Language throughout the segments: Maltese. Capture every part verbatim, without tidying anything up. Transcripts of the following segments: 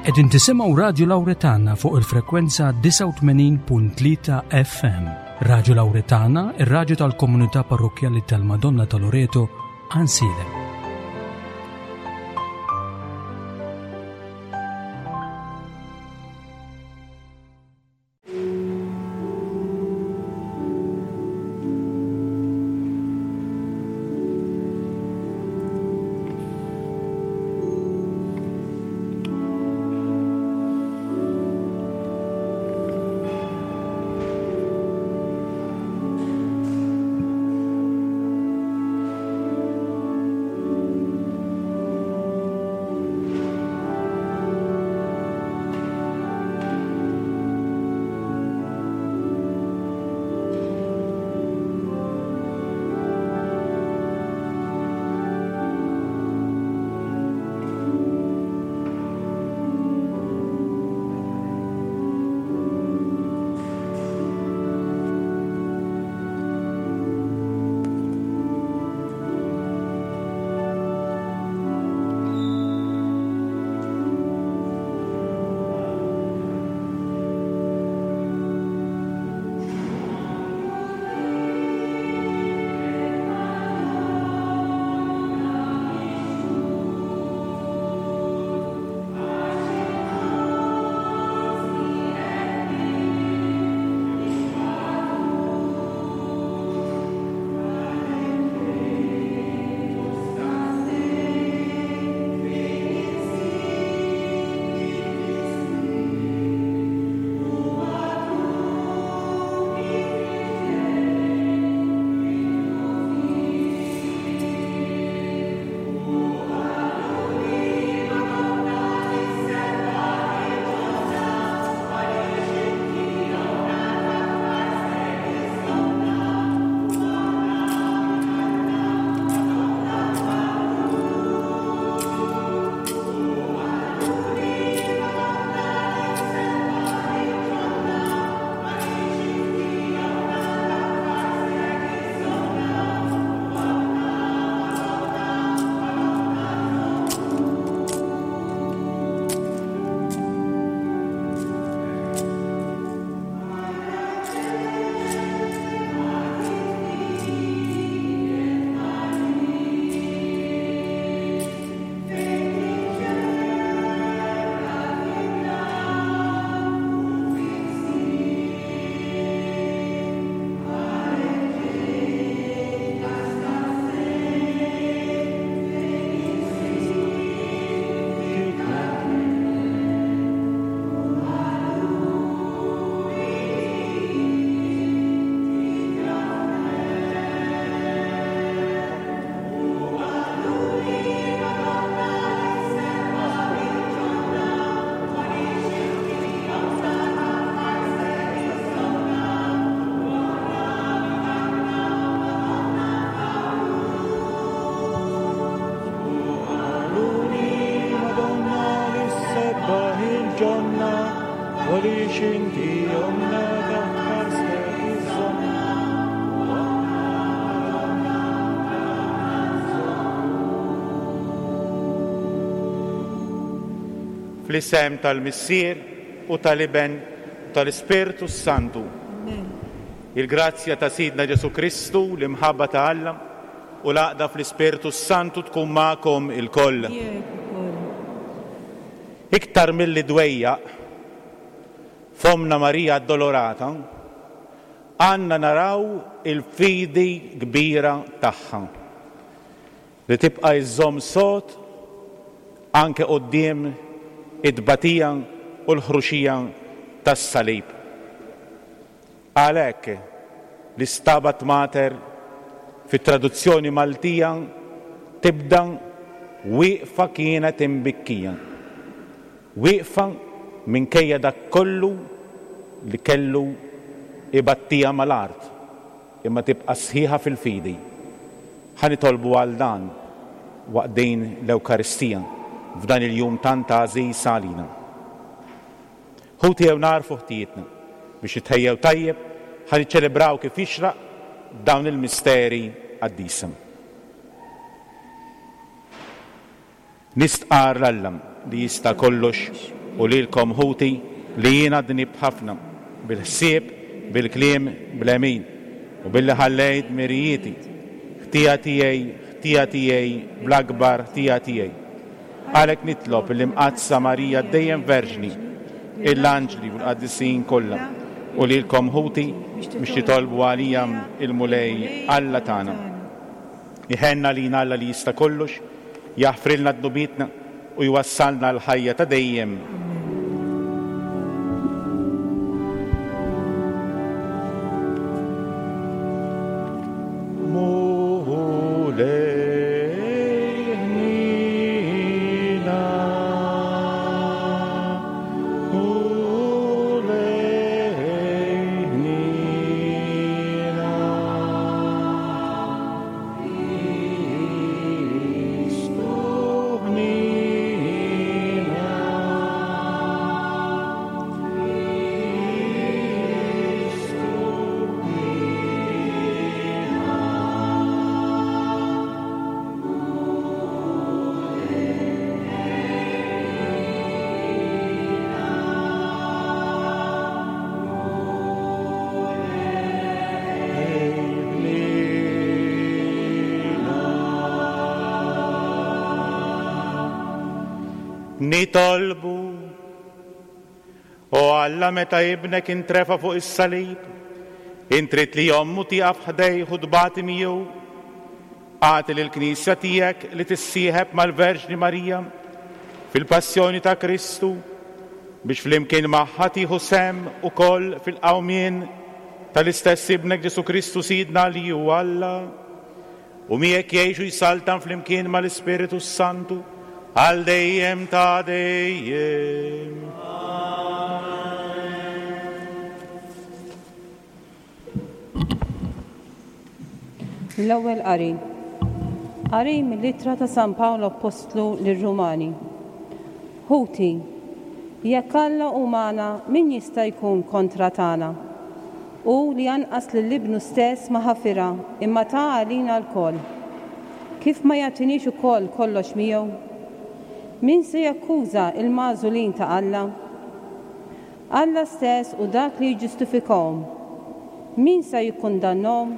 Qegħdin tisimgħu Radju Lawretana fuq il-frekwenza disgħa u tmenin punt tlieta F M. Radju Lawretana, ir-radju tal-komunità parrokkjali tal-Madonna ta' Loreto, Għajnsielem. Fl-isem tal-Missier u tal-Iben u tal-Ispirtu Santu. Amen. Il-grazzja ta' Sidna Ġesu Kristu, l-imħabba ta' Alla u l-għaqda fl-Ispirtu Santu tkun magħkom ilkoll. Miegħek ukoll. Iktar milli dwejjaq f'Ommna Marija Addolorata, għandna naraw il-fidi kbira tagħha li tibqa' iżżomm sod anke quddiem it-tbatija u l-ħruxija tas-salib. Għalhekk li Stabat Mater fit-traduzzjoni Maltija tibda wieqfa kienet imbikkija. Wieqfa minkejja dak kollu li kellu ibattija mal-art, imma tibqa' sħiħa fil-fidi. Ħa nitolbu għal dan waqt din l-Ewkaristija f'dan il-jum tant għażiż għalina. Ħuti jew narfu ħtijietna biex nitħejjew tajjeb ħa niċċelebraw kif jixraq dawn il-misteri qaddisa. Nistqar l-Alla li jista' kollox u lilkom ħuti li jiena dnibt ħafna bil-ħsieb, bil-kliem, bl-għemil u billi ħallejt mirijieti. Ħtija tiegħi, ħtija tiegħi, bl-akbar ħtija tiegħi. Għalhekk nitlob l-Imqaddsa Marija dejjem Verġni, l-anġli u l-qaddisin kollha u lilkom ħuti biex titolbu għalija il-Mulej Alla tagħna. Iħenna lina Alla li jista' kollox, jaħfrilna dnubietna u jwassalna l-ħajja ta' dejjem. Mulej ħnina, Mulej ħnina, Kristu ħnina, Kristu Nitolbu, o Alla meta ibnek intrefa fuq is-salib, intrit li ommu tieqaf ħdejh u tbati miegħu. Agħti lill-Knisja tiegħek li tissieħeb mal-Verġni Marija fil-passjoni ta' Kristu biex flimkien magħha tieħu sehem ukoll fil-qawmien tal-istess ibnek Ġesù Kristu Sidna li hu Alla u miegħek jgħixu jsaltan flimkien mal-Ispiritu Santu għal dejjem ta' dejjem. L-ewwel qari. Qari mill-ittra ta' San Pawl Appostlu lir-Rumani. Ħuti, jekk Alla hu magħna, min jista' jkun kontra tagħna? Hu li anqas lil ibnu stess ma ħafirha, imma ta għalina lkoll. Kif ma jagħtinix ukoll kollox miegħu? Min se jakkuża il-magħżulin ta' Alla? Alla stess u dak li jiġġustifikahom. Min se jikkundannahom?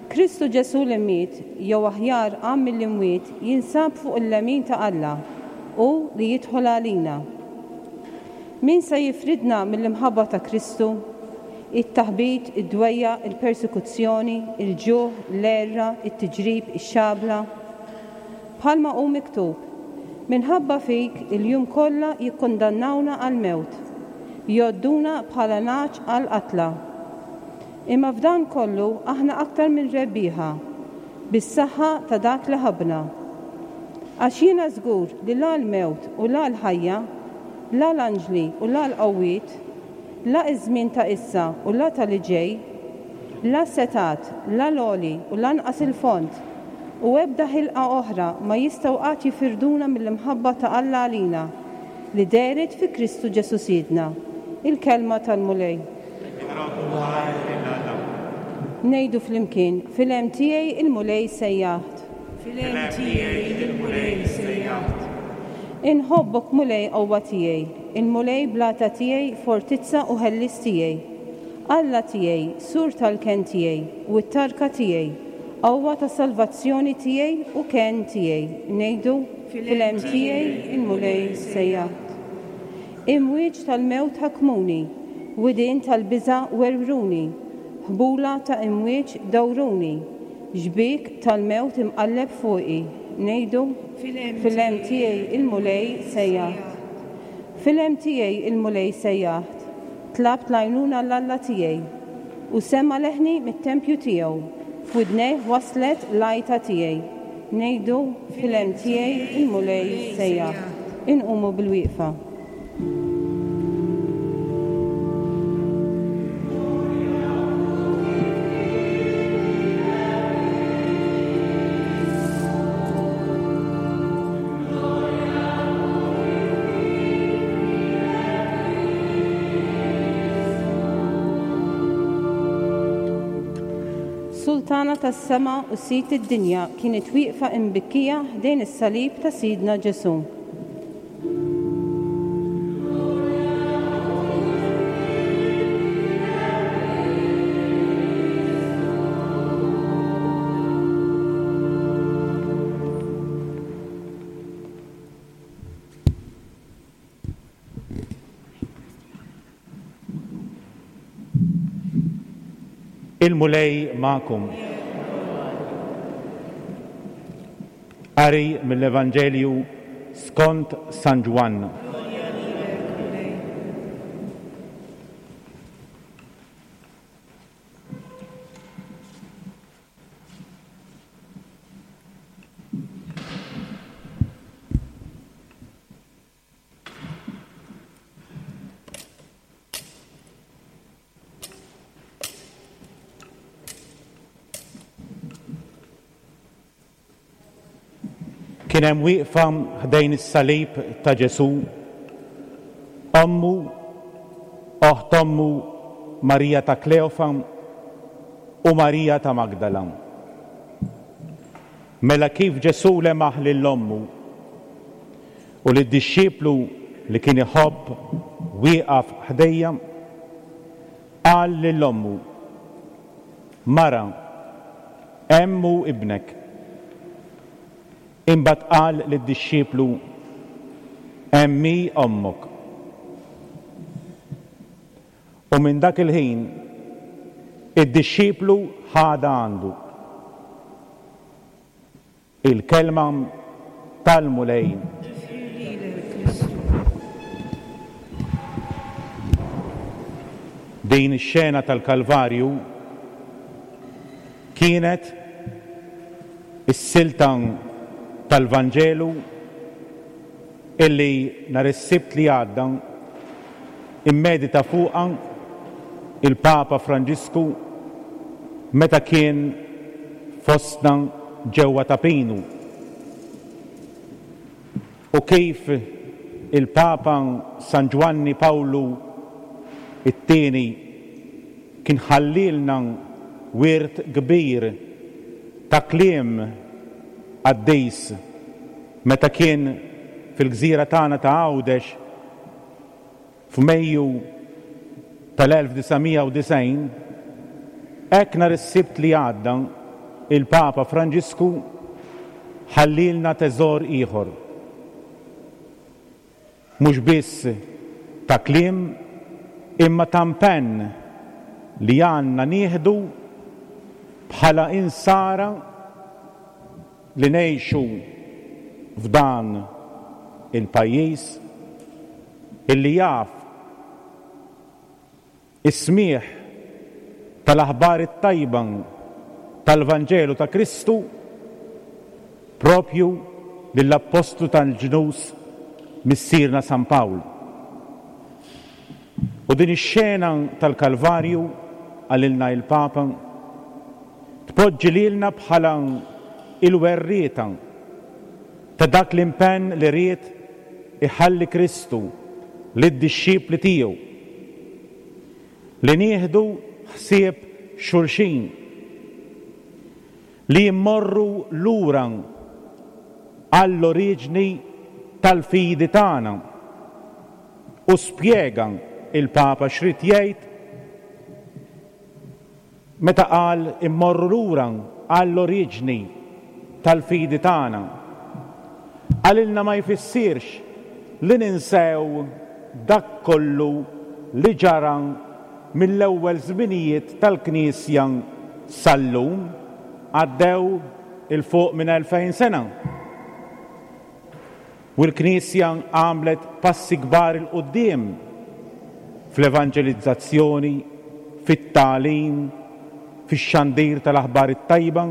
Kristu Ġesù li miet, jew aħjar qam mill-imwiet, jinsab fuq il-lemin ta' Alla u li jidħol għalina. Min se jifridna mill-imħabba ta' Kristu? It-taħbit, id-dwejja, il-persekuzzjoni, il-ġuħ, l-għerra, it-tiġrib, ix-xabla. Bħalma hu miktub, minħabba fik il-jum kollha jikkundannawna għall-mewt, jgħodduna bħala nagħaġ għall-qatla. Imma f'dan kollu aħna aktar minn rebbieħa, bis-saħħa ta' dak li ħabbna. Għax jiena żgur li la l-mewt u la l-ħajja, la l-anġli u la l-qawwiet, la iż-żmien ta' issa u la ta' li ġej, la setat, la l-għoli u lanqas il-fond, u ebda ħilqa oħra ma jistgħu qatt jifirduna mill-imħabba ta' Alla għalina, li dehret fi Kristu Ġesù Sidna. Il-kelma tal-Mulej. Ngħidu flimkien, fil-hemm tiegħi il-Mulej sejjaħt. Fil-hemm tiegħi il-Mulej sejjaħt. Inħobbok Mulej qawwa tiegħi, il-Mulej blata tiegħi, fortizza u ħellis tiegħi. Alla tiegħi, sur tal-kenn tiegħi u t-tarka tiegħi, qawwa ta' salvazzjoni tiegħi u kenn tiegħi. Ngħidu fil-hemm tiegħi il-Mulej sejjaħt. Imwieġ tal-mewt ħakmuni, widien tal-biża' werwruni, ħbula ta' imwieġ dawruni, xbiek tal-mewt imqalleb fuqi. Ngħidu fil-hemm tiegħi il-Mulej sejjaħt. Fil-hemm tiegħi il-Mulej sejjaħt. Tlabt l-għajnuna l-Alla tiegħi u sema leħni mit-tempju tiegħu. F'widnejh waslet l-għajta tiegħi. Ngħidu fil-hemm tiegħi il-Mulej sejjaħt. Inqumu bil-wieqfa. Sultana tas-sema u sid id-dinja kienet wieqfa imbikkija ħdejn is-salib ta' Sidna Ġesù. Il-Mulej magħkom. Qari mill-Evanġelju skont San Ġwann. Kien hemm wieqfa ħdejn is-salib ta' Ġesù, ommu, oħt ommu Marija ta' Kleofa u Marija ta' Magdala. Mela kif Ġesù lemaħ lil ommu u lid-dixxiplu li kien iħobb wieqaf ħdejja, qal lil ommu: Mara, hemm hu ibnek. Imbagħad qal lid-dixxiplu: Hemm hi ommok. U minn dak il-ħin id-dixxiplu ħadha għandu. Il-kelma tal-Mulej. Din ix-xena tal-Kalvarju kienet is-silta tal-Vanġelu illi nhar is-Sibt li għadda immedita fuqha il-Papa Franġisku meta kien fostna ġewwa Ta' Pinu. U kif il-Papa San Ġwanni Pawlu it-tieni kien ħallilna wirt kbir ta' kliem qaddis meta kien fil-gżira tagħna ta' Għawdex f'Mejju tal-elf disa' mija u disgħin, hekk nhar is-Sibt li għadda il-Papa Franġisku ħallilna teżor ieħor. Mhux biss ta' kliem imma ta' impenn li għandna nieħdu bħala insara li ngħixu f'dan il-pajjiż illi jaf is-smigħ tal-aħbar it-tajba tal-Vanġelu ta' Kristu propju lill-Appostlu tal-ġnus Missierna San Pawl. U din ix-xena tal-Kalvarju, qalilna il-Papa, tpoġġi lilna bħala il-werrieta ta' dak l-impenn li ried iħalli Kristu lid-dixxipli tiegħu, li nieħdu ħsieb xulxin, li jimmorru lura għall-oriġni tal-fidi tagħna. U spjega il-Papa x'rid jgħid meta qal immorru lura għall-oriġni tal-fidi tagħna. Qalilna ma jfissirx li ninsew dak kollu li ġara mill-ewwel żminijiet tal-Knisja sal-lum, għaddew il fuq minn elfejn sena. U l-Knisja għamlet passi kbar il quddiem fl-evanġelizzazzjoni, fit-tagħlim, fix-xandir tal-aħbar it-tajba.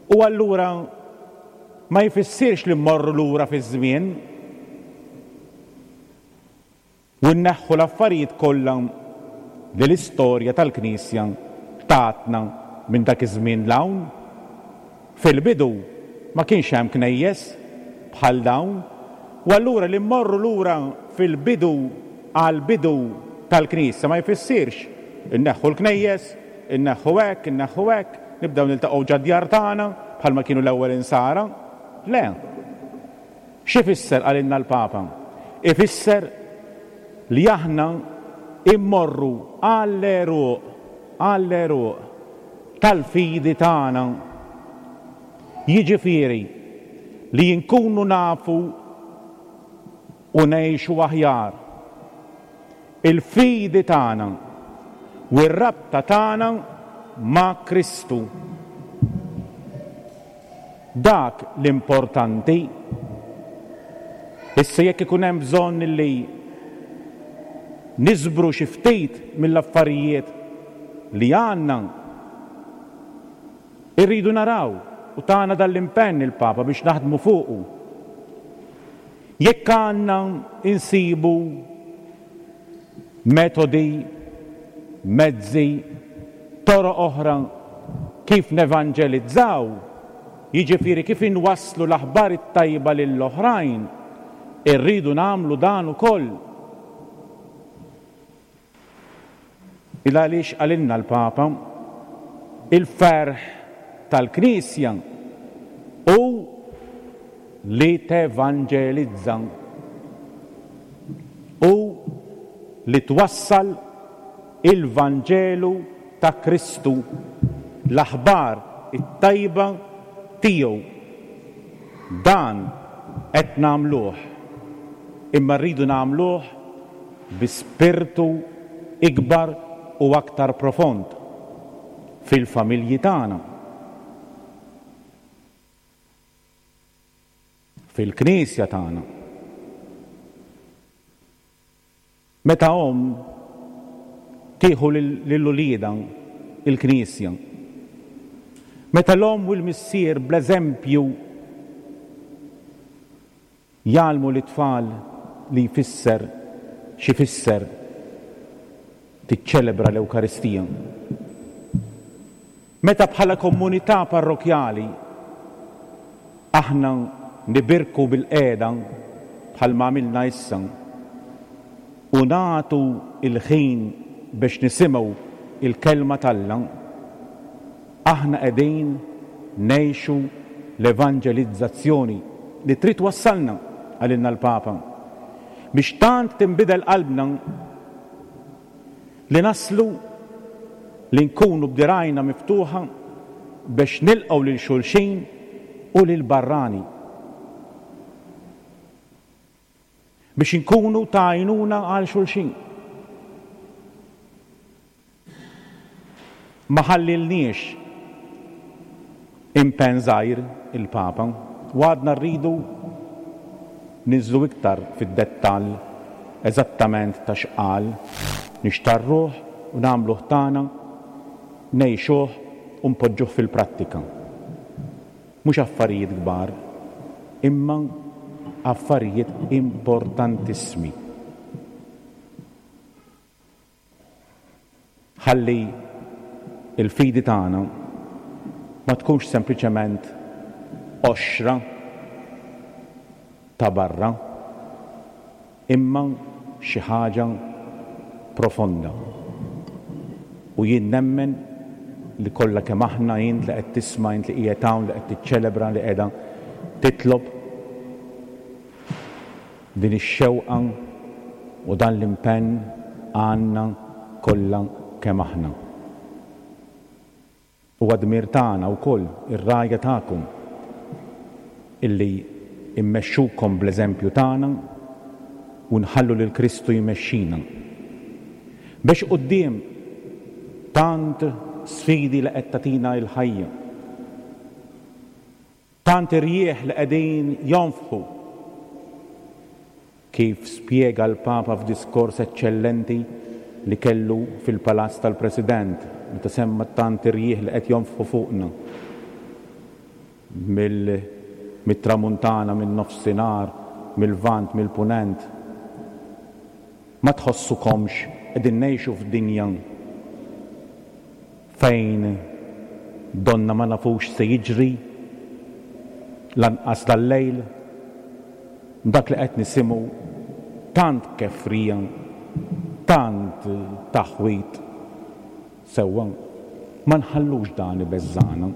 U allura ma jfissirx li mmorru lura fiż-żmien u nneħħu l-affarijiet kollha li l-istorja tal-Knisja tatna minn dak iż-żmien 'l hawn. Fil-bidu ma kienx hemm knejjes bħal dawn, u allura li mmorru lura fil-bidu għall-bidu tal-Knisja ma jfissirx inneħħu l-knejjes, inneħħu hekk, inneħħu hekk, nibdew niltaqgħu ġad-djar tagħna bħalma kienu l-ewwel insara. Le. X'ifisser qalilna l-Papa? Ifisser li aħna immorru għall-għeruq, għall-għeruq tal-fidi tagħna. Jiġifieri li nkunu nafu u ngħixu aħjar. Il-fidi tagħna u r-rabta tagħna ma' Kristu. Dak l-importanti. Issa jekk ikun hemm bżonn li niżbru xi ftit mill-affarijiet li għandna, irridu naraw u tagħna dal-impenn il-Papa biex naħdmu fuqu. Jekk għandna insibu metodi, mezzi, toroq oħra kif nevanġelizzaw, jiġifieri kif inwasslu l-aħbar it-tajba lill-oħrajn, irridu nagħmlu dan ukoll. Il għaliex qalilna l-Papa, il-ferħ tal-Knisja hu li tevanġelizza, hu li twassal il-Vanġelu ta' Kristu, l-aħbar it-tajba tiegħu. Dan qed nagħmluh, imma rridu nagħmluh bi spirtu ikbar u aktar profond fil-familji tagħna, fil-Knisja tagħna. Meta omm tieħu lil uliedha il-Knisja, meta l-omm u l-missier bl-eżempju jgħallmu lit-tfal li jfisser x'ifisser tiċċelebra l-Ewkaristija. Meta bħala komunità parrokjali aħna nibirku bil-qiegħda bħalma għamilna issa u nagħtu il-ħin biex nisimgħu il-kelma t'Alla, aħna qegħdin ngħixu l-evanġelizzazzjoni li trid twassalna, qalilna l-Papa, biex tant tinbidel qalbna li naslu li nkunu b'dirajna miftuħa biex nilqgħu lil xulxin u lil barrani, biex inkunu ta' għajnuna għal xulxin. Ma ħallilniex impenn żgħir il-Papa, u għadna rridu ninżlu iktar fid-dettall eżattament ta' x'qal, nixtarruh u nagħmluh tagħna, ngħixuh u npoġġuh fil-prattika. Mhux affarijiet kbar, imma affarijiet importantissimi. Ħalli il-fidi tagħna ma tkunx sempliċement qoxra ta' barra, imma xi ħaġa profonda. U jien nemmen li kollha kemm aħna, int li qed tisma', int li qiegħed hawn, li qed tiċċelebra, li qiegħda titlob, din ix-xewqa u dan l-impenn għandna kollha kemm aħna. Huwa dmir tagħna wkoll, ir-rgħajja tagħkom, illi immexxukom bl-eżempju tagħna u nħallu lil Kristu jmexxina. Biex quddiem tant sfidi li qed tagħtina l-ħajja, tant irjieħ li qegħdin jonfħu, kif spjega l-Papa f'diskors eċċellenti li kellu fil-Palazz tal-President, meta semma tant irjieħ li qed jonfħu fuqna mit-tramuntana, min-nofsinhar, mill-vant, mill-punent. Ma tħossukomx qegħdin ngħixu f'dinja fejn donna ma nafux se jiġri lanqas dal-lejl, dak li qed nisimgħu tant kefrija, tant taħwit sewwa, ma nħallux dan ibeżżana.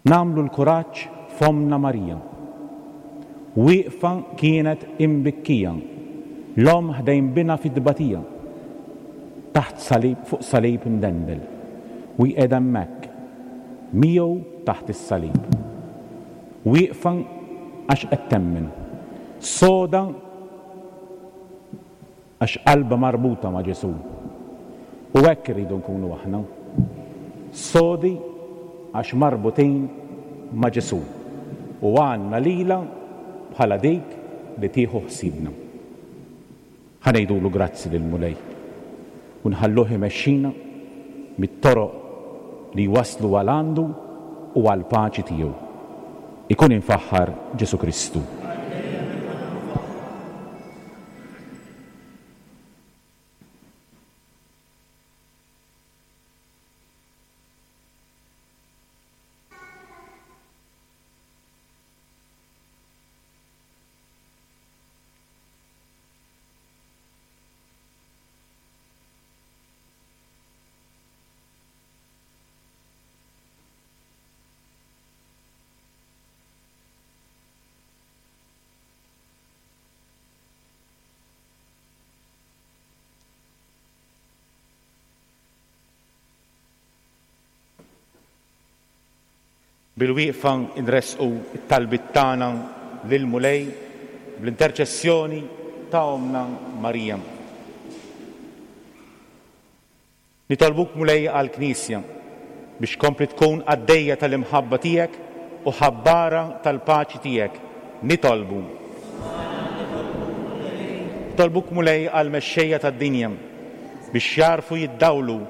Nagħmlu l-kuraġġ f'Ommna Marija. Wieqfa kienet imbikkija, l-omm ħdejn binha fit-tbatija, taħt salib, fuq salib imdendel, u jqiegħda hemmhekk, miegħu taħt is-salib. Wieqfa għax qed temmen, soda għax qalbha marbuta ma' Ġesù. U hekk irridu nkunu aħna. Sodi għax marbutin ma' Ġesù u għandna lilha bħala dik li tieħu ħsiebna. Ħa ngħidulu grazzi lill-Mulej u nħalluh imexxina mit-toroq li waslu għal għandu u għall-paċi tiegħu. Ikun infaħħar Ġesù Kristu. Bil-wieqfa nresqu t-talbiet tagħna lill-Mulej bl-interċessjoni ta' Ommna Marija. Nitolbuk Mulej għall-Knisja biex kompli tkun qaddejja tal-imħabba tiegħek u ħabbara tal-paċi tiegħek. Nitolbu. Nitolbuk Mulej għall-mexxejja tad-dinja biex jarfu jiddawlu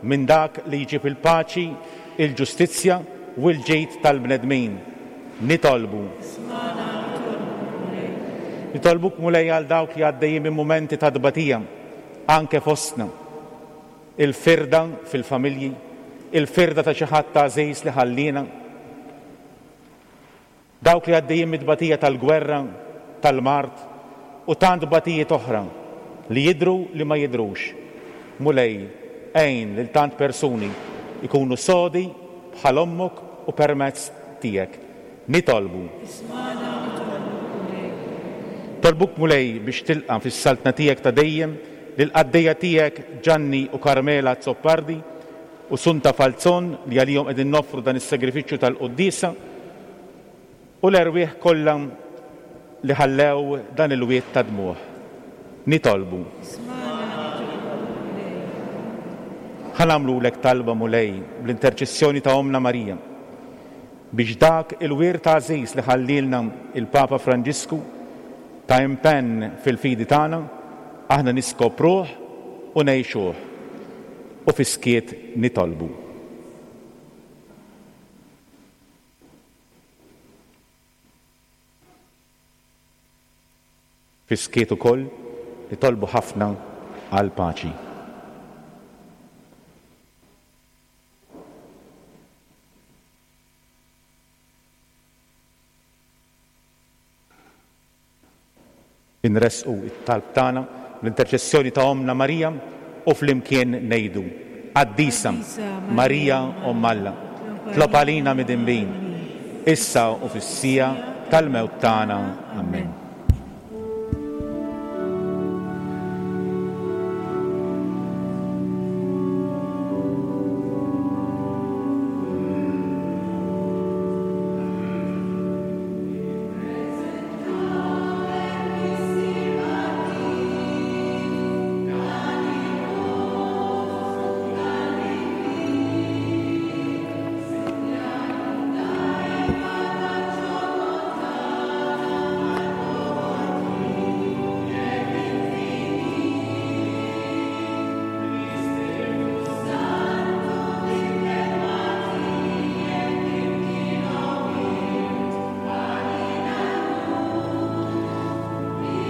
minn dak li jġib il-paċi, il-ġustizzja u l-ġid tal-bnedmin. Nitolbu. Nitolbuk Mulej għal dawk li għaddejjin minn mumenti ta' tbatija, anke fostna. Il-firda fil-familji, il-firda ta' xi ħadd għażiż li ħallina. Dawk li għaddejjin mit-tbatija tal-gwerra, tal-mard u tant tbatijiet oħra li jidhru li ma jidhrux. Mulej, għin lil tant persuni ikunu sodi bħal ommok u permezz tiegħek. Nitolbu. Tolbuk Mulej biex tilqa' fis-saltna tiegħek ta' dejjem lill-qaddejja tiegħek Ġanni u Carmela Zoppardi u Sunta Falzon li għalihom qegħdin noffru dan is-sagrifiċċju tal-quddiesa u l-erwieħ kollha li ħallew dan il-wied ta' dmugħ. Nitolbu. Ħa nagħmlulek talba Mulej bl-interċessjoni ta' Ommna Marija biex dak il-wirt għażiż li ħallilna il-Papa Franġisku ta' impenn fil-fidi tagħna aħna niskopruh u ngħixuh u fis-skiet nitolbu. Fis-skiet ukoll nitolbu ħafna għal paċi. Inresqu it-talb tagħna l-interċessjoni ta' Ommna Marija u flimkien ngħidu: Qaddisa Marija Omm Alla, tlob għalina midinbin, issa u fis-siegħa tal-mewt tagħna. Amen.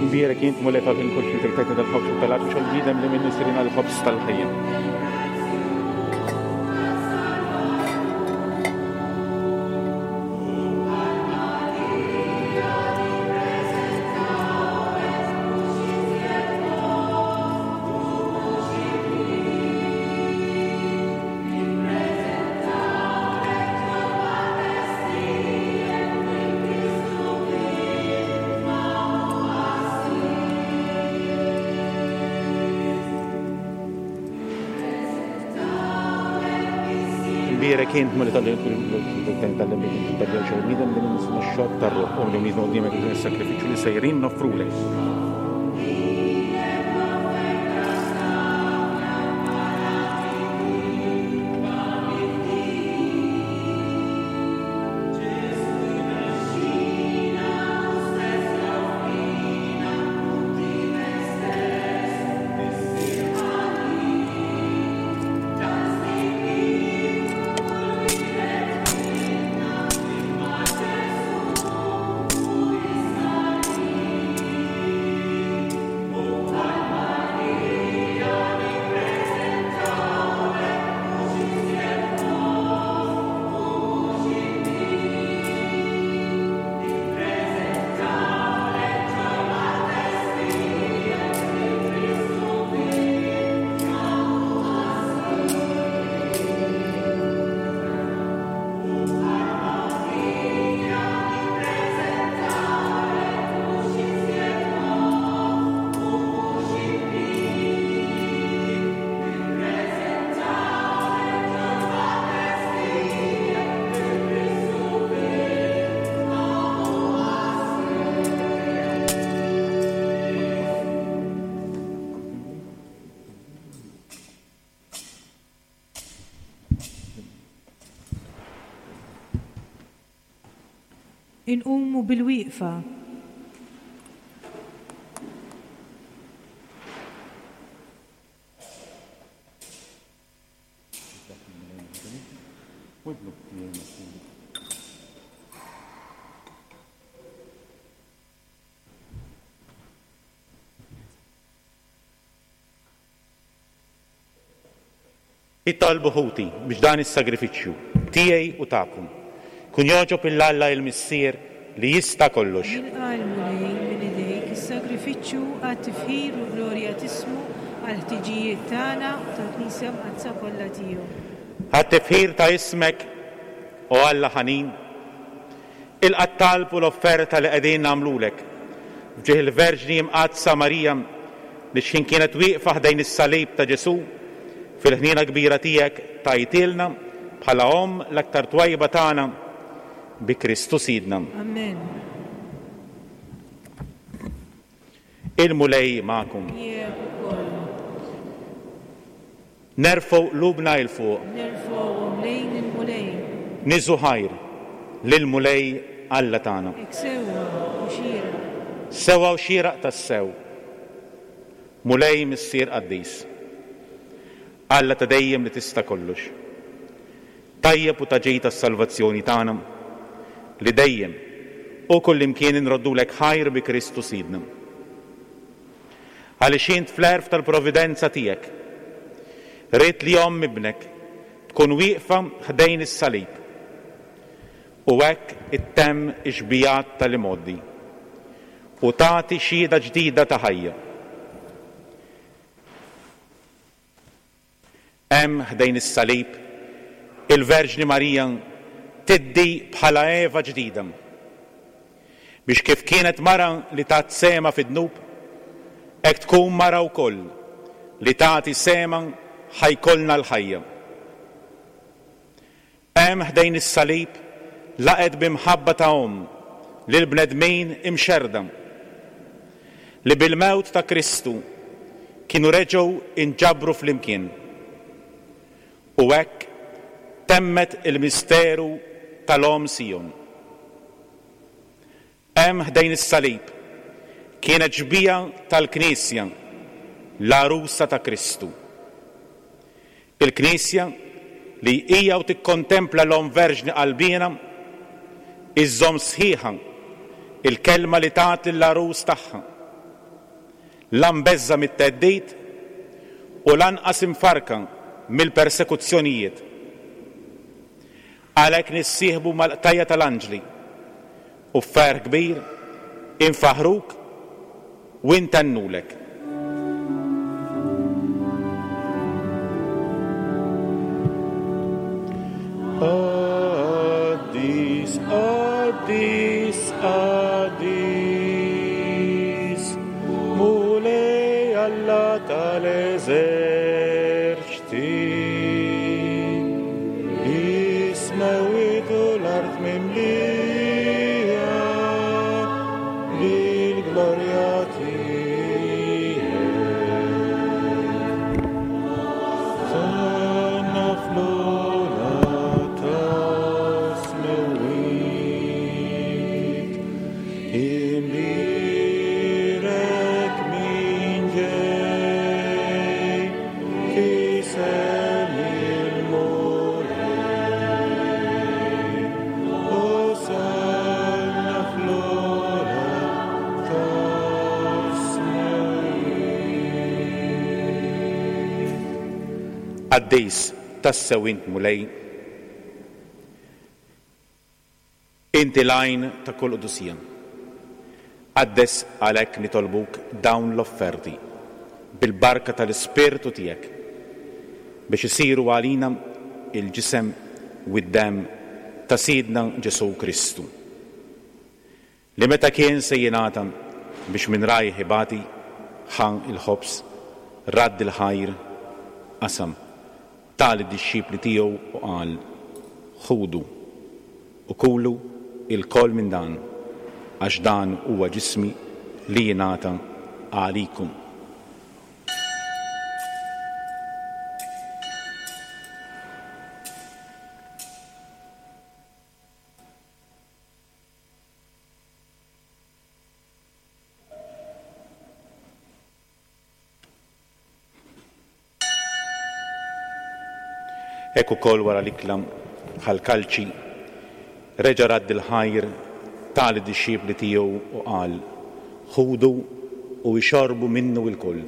Mbierek int Mulej tal-ħin kull xi tajt tal-ħobż u tal-art u xogħol li minnu sirina l-ħobż tal-ħajja. Mbierek int Mulej tal-bniedem li minnu sirina x-xorb tar-ruħ u li minnu quddiemek is-sagrifiċċju li sejrin noffrulek. Inqumu bil-wieqfa. Itolbu ħuti biex dan is-sagrifiċċju tiegħi u tagħkom kun jogħġob lil Alla il-Missier li jista' kollox. Jilqa' l-Mulej minn idejk is-sagrifiċċju għat-tifħir u glorja t'ismu għall-ħtiġijiet tagħna u tal-Knisja Mqaddsa kollha tiegħu. Għat-tifħir ta' ismek, o Alla ħanin, ilqa' t-talb u l-offerta li qegħdin nagħmlulek f'ġieħ il-Verġni Mqaddsa Marija li x'ħin kienet wieqfa ħdejn is-salib ta' Ġesù fil-ħniena kbira tiegħek tajtilna bħala omm l-aktar twajba tagħna bi Kristu Sidna. Amen. Il-Mulej magħkom. Miegħek ukoll. Nerfgħu qlubna 'l fuq. Nerfgħuhom lejn il-Mulej. Niżu ħajr lill-Mulej Alla tagħna. Hekk sewwa u xieraq. Sewwa u xieraq tassew. Mulej Missier Qaddis. Alla ta' dejjem li tista' kollox. Tajjeb u ta' ġid tas-salvazzjoni tagħna li dejjem u kullimkien inroddulek ħajr bi Kristu Sidna. Għaliex int fl-għerf tal-providenza tiegħek ridt li omm ibnek tkun wieqfa ħdejn is-salib u hekk ittemm ix-xbijat tal-imgħoddi u tagħti xhieda ġdida ta' ħajja. Hemm ħdejn is-salib il-Verġni Marija tiddi bħala Eva ġdida biex kif kienet mara li tat sema fid-dnub, hekk tkun mara wkoll li tagħti sema ħajkollna l-ħajja. Hemm ħdejn is-salib laqgħet b'imħabba ta' omm lil bnedmin imxerda li bil-mewt ta' Kristu kienu reġgħu inġabru flimkien. U hekk temmet il-misteru tal-Omm Sijon. Hemm ħdejn is-salib kienet xbieha tal-Knisja, l-għarusa ta' Kristu. Il-Knisja li hija u tikkontempla l-Omm Verġni qalbiena iżżomm sħiħa il-kelma li tat lill-għarus tagħha. La mbeżża' mit-theddid u lanqas imfarka mill-persekuzzjonijiet. Għalhekk nissieħbu mal-qtajja tal-anġli u f'ferħ kbir infaħruk u intennulek. Qaddis, qaddis, qaddis, Mulej Alla tal-eżerċti. Is-smewwiet u l-art mimlija bil-glorja tiegħek. Sanna fl-ogħla tas-smewwiet, imbierek min ġej f'isem il-Mulej. Osanna fl-ogħla tas-smewwiet. Qaddis tassew int Mulej, inti l-għajn ta' kull qdusija. Qaddes għalhekk nitolbuk dawn l-offerti bil-barka tal-Ispirtu tiegħek biex isiru għalina il-ġisem u d-demm ta' Sidna Ġesù Kristu, li meta kien se jingħata biex minn rajh ibati, ħa il-ħobż, radd il-ħajr, qasam, ta lid-dixxipli tiegħu u qal: Ħudu u kulu ilkoll minn dan, għax dan huwa ġismi li jingħata għalikum. Hekk ukoll wara l-ikla ħa l-kalċi, reġa' radd il-ħajr, ta lid-dixxipli tiegħu u qal: Ħudu u ixorbu minnu lkoll,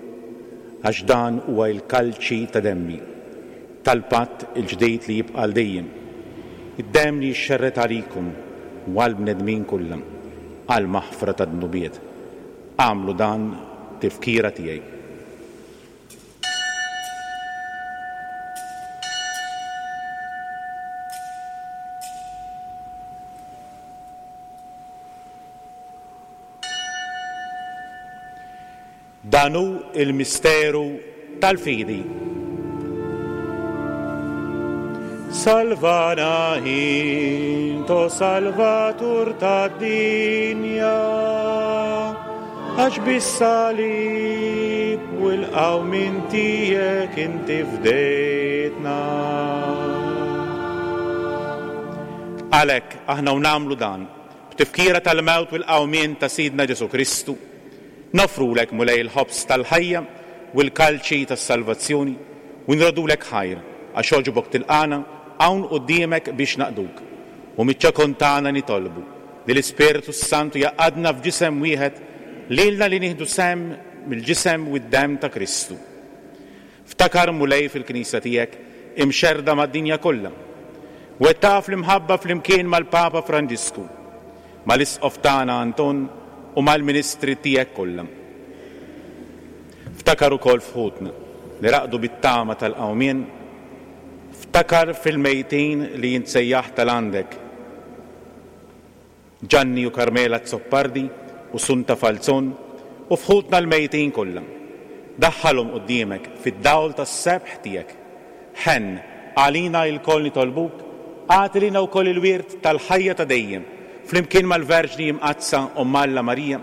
għax dan huwa l-kalċi ta' demmi, tal-patt il-ġdid li jibqa' għal dejjem, id-demm li jixxerred għalikom u għall-bnedmin kollha għall-maħfra tad-dnubiet. Agħmlu dan tifkira tiegħi. Dan hu il-misteru tal-fidi. Salvana int, o Salvatur tad-dinja, għax bis-salib u l-qawmien tiegħek inti fdejtna. Għalhekk aħna u nagħmlu dan, b'tifkira tal-mewt u l-qawmien ta' Sidna Ġesù Kristu, noffrulek, Mulej, il-ħobż tal-ħajja u l-kalċi tas-salvazzjoni u nroddulek ħajr għax għoġbok tilqagħna hawn quddiemek biex naqduk. U miċ-ċokon tagħna nitolbu li l-Ispirtu Santu jgħaqqadna f'ġisem wieħed lilna li nieħdu sehem mill-ġisem u d-demm ta' Kristu. Ftakar, Mulej, fil-Knisja tiegħek imxerrda mad-dinja kollha. Wettaqha fl-imħabba flimkien mal-Papa Franġisku, mal-Isqof tagħna Anton u mal-ministri tiegħek kollha. Ftakar ukoll f'ħutna li raqdu bit-tama tal-qawmien, ftakar fil-mejtin li int sejjaħt għal għandek, Gianni u Carmela Zoppardi u Sunta Falzon u f'ħutna l-mejtin kollha. Daħħalhom quddiemek fid-dawl tas-sebħ tiegħek. Ħenn għalina lkoll nitolbuk, agħti lilna wkoll il-wirt tal-ħajja ta' dejjem, flimkien mal-Verġni Imqaddsa Omm Alla Marija,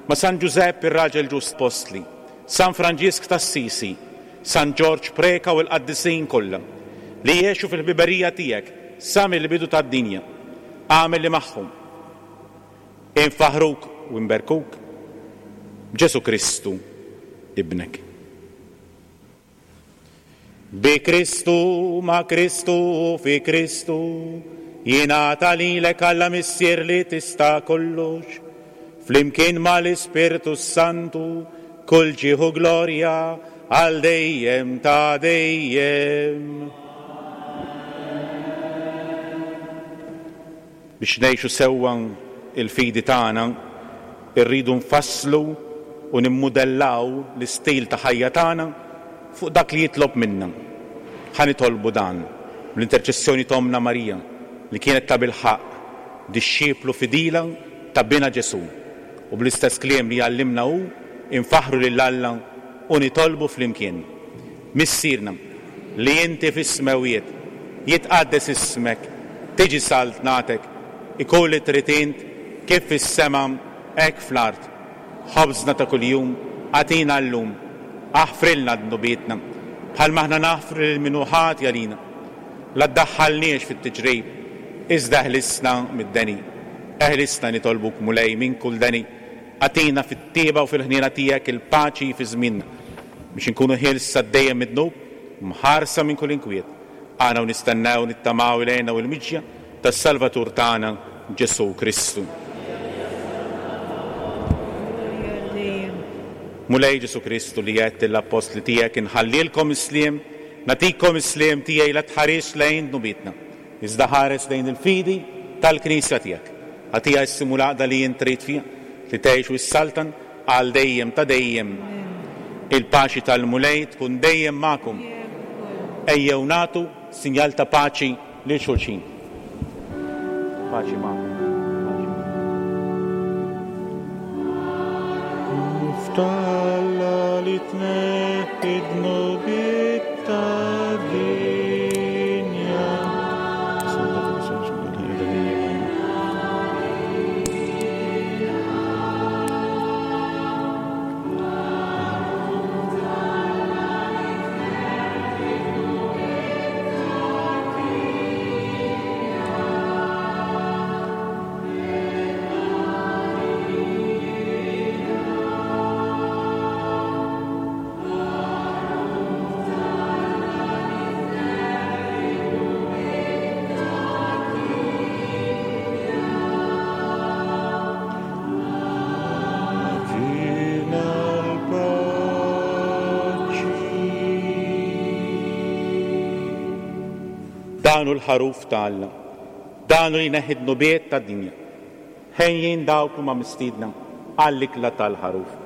ma' San Ġużepp ir-raġel ġust Postli, San Franġisk t'Assisi, San Ġorġ Preca u l-qaddisin kollha li jgħixu fil-ħbiberija tiegħek sa mill-bidu tad-dinja. Agħmel li magħhom infaħruk u nberkuk b'Ġesù Kristu ibnek. Bi Kristu, ma' Kristu, fi Kristu, jingħata lilek Alla Missier li tista' kollox, flimkien mal-Ispirtu Santu, kull ġieħ u glorja għal dejjem ta' dejjem. Biex ngħixu sewwa il-fidi tagħna, irridu nfasslu u nimmudellaw l-istil ta' ħajja tagħna fuq dak li jitlob minna. Ħa nitolbu dan bl-interċessjoni t'Ommna Marija, li kienet ta' bilħaqq dixxiplu fidila ta' Binha Ġesù, u bl-istess kliem li għallimna hu infaħru lil Alla u nitolbu flimkien. Missierna li inti fis-smewwiet, jitqaddes ismek, tiġi saltnatek, ikun li trid int kif fis-sema hekk fl-art. Ħobżna ta' kuljum agħtina llum, aħfrilna dnubietna bħalma aħna naħfru lil min hu ħati għalina. La ddaħħalniex fit-tiġrib, iżda eħlisna mid-deni. Eħlisna nitolbuk, Mulej, minn kull deni. Agħtina fit-tjieba u fil-ħniena tiegħek il-paċi fi żmienna, biex inkunu ħielsa dejjem mid-dnub, mħarsa minn kull inkwiet. Aħna u nistennew nittamaw l-hena u l-miġja tas-Salvatur tagħna Ġesù Kristu. Mulej Ġesù Kristu li għedt lill-appostli tiegħek inħallilkom is-sliem, nagħtikom is-sliem tiegħi, la tħares lejn dnubietna, iżda ħares lejn il-fidi tal-Knisja tiegħek. Agħtiha s-sliem u l-għaqda li int trid fiha, li tgħix u ssaltan għal dejjem ta' dejjem. Il-paċi tal-Mulej tkun dejjem magħkom. Ejjew nagħtu sinjal ta' paċi lil xulxin. Paċi magħkom. Ftalla li tneħħi dnubiet tad-dinja. Dan hu l-ħaruf ta' Alla. Dan hu li jneħħi d-dnubiet tad-dinja. Ħenjin dawk huma mistiedna għall-ikla tal-ħaruf.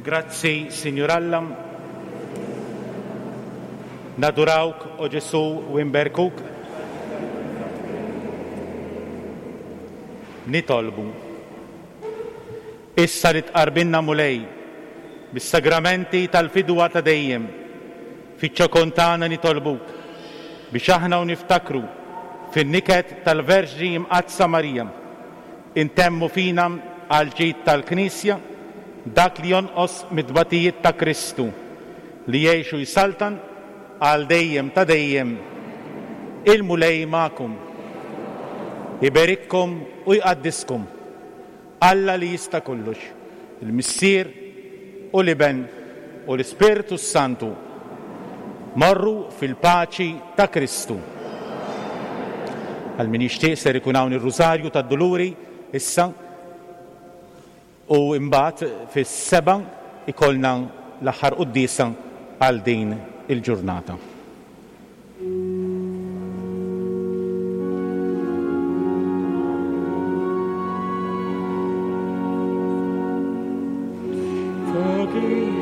Grazzi, Sinjur Alla. Nadurawk, o Ġesu, u nberkuk. Nitolbu. Issa li tqarbinna, Mulej, bis-sagramenti tal-fidwa ta' dejjem, fiċ-ċokon tagħna nitolbuk biex aħna u niftakru fin-niket tal-Verġni Imqaddsa Marija, intemmu fina għall-ġid tal-Knisja dak li jonqos mit-tbatijiet ta' Kristu, li jgħix u jsaltan għal dejjem ta' dejjem. Il-Mulej magħkom. Iberikkom u jqaddiskom. Alla li jista' kollox, il-Missier u l-Iben u l-Ispirtu Santu. Morru fil-paċi ta' Kristu. Għal min jixtieq ser ikun hawn ir-Rużarju tad-Duluri issa u imbagħad fis-seba' ikollna l-aħħar quddiesa għal din il-ġurnata. Fucking